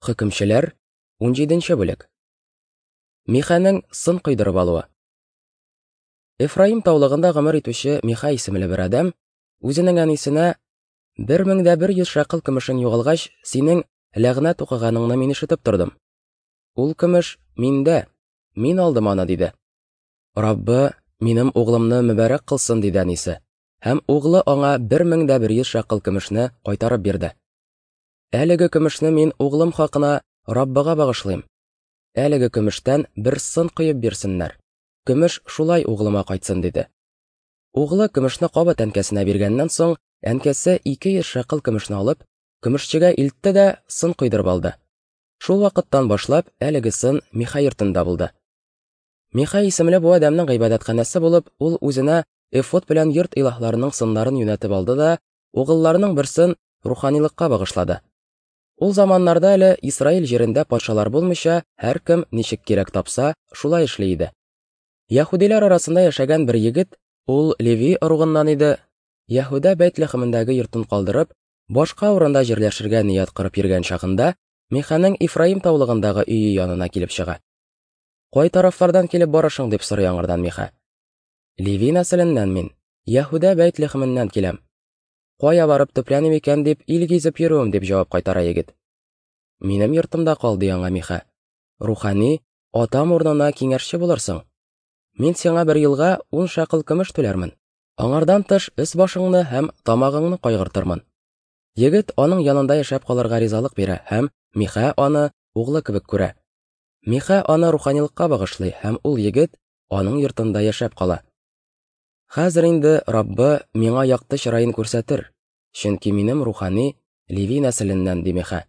Хөкемчеләр, 17 бүлек. Михәнең сын койдырып алуы. Эфраим таулыгында гомер итүче Миха исемле бер адәм үзенең әнисенә: "1100 шәкыл көмешең югалгач, синең ләгънәт укыганыңны мин ишетеп тордым. Ул көмеш миндә, мин алдым аны", диде. Раббы минем углымны мөбарәк кылсын, диде әнисе. Һәм углы аңа 1100 шәкыл көмешне кайтарып бирде. Әлеге көмешне мин углым хакына Раббыга багышлыйм. Әлеге көмештән бер сын коеп бирсеннәр. Көмеш шулай углыма кайтсын, диде. Углы көмешне кабат әнкәсенә биргәннән соң, әнкәсе 200 шәкыл көмешне алып, көмешчегә илтте дә сын койдырып алды. Шул вакыттан башлап, әлеге сын Миха йортында булды. Миха исемле бу адәмнең гыйбадәтханәсе булып, ул үзенә эфод белән йорт илаһларының сыннарын юнәтеп алды да, угылларының берсен руханилыкка багышлады. Ул заманнарда әле Исраил җирендә патшалар булмыйча, һәркем ничек кирәк тапса, шулай эшли иде. Яһүдиләр арасында яшәгән бер егет, ул Леви ыругыннан иде, Яһүдә Бәйтлехемендәге йортын калдырып, башка урында җирләшергә ният корып йөргән чагында, Миханың Ифраим таулыгындагы өе янына килеп чыга. Кай тарафлардан килеп барышың, дип сорый аңардан Миха. Леви нәселеннән мин, Яһүдә Бәйтлехеменнән киләм. Кая барып төпләним икән дип ил гизеп йөрүем, дип җавап кайтара егет. Минем йортымда кал, ди аңа Миха. Рухани, атам урынына киңәшче булырсың. Мин сиңа бер елга 10 шәкыл көмеш түләрмен. Аңардан тыш өс-башыңны һәм тамагыңны кайгыртырмын. Егет аның янында яшәп калырга ризалык бирә һәм Миха аны углы кебек күрә. Миха аны руханилыкка багышлый һәм ул егет аның йортында яшәп кала. Хәзер инде Раббы миңа якты чыраен күрсәтер, чөнки минем рухани Леви нәселеннән, ди Миха.